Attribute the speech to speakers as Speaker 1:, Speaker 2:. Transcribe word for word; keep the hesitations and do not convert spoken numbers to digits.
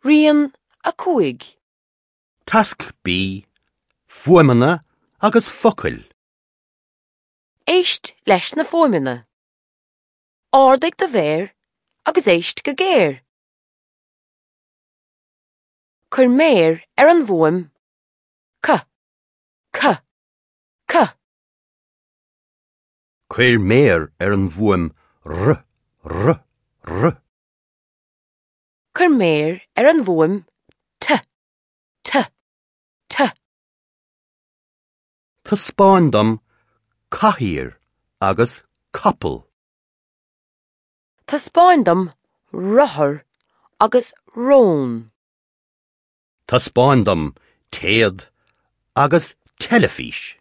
Speaker 1: Rian a cúig.
Speaker 2: Tasc B, Fuaimeanna agus focail.
Speaker 1: Éist leis na fuaimeanna. Ardaigh do mhéar agus éist go géar. Cuir méar ar an bhfuaim C C C.
Speaker 2: Cuir méar ar an bhfuaim R R R.
Speaker 1: Cuir méar ar an bhfuaim T T T.
Speaker 2: Taispeáin dom cathaoir agus capall.
Speaker 1: Taispeáin dom rothar agus rón.
Speaker 2: Taispeáin dom téad agus teilifís.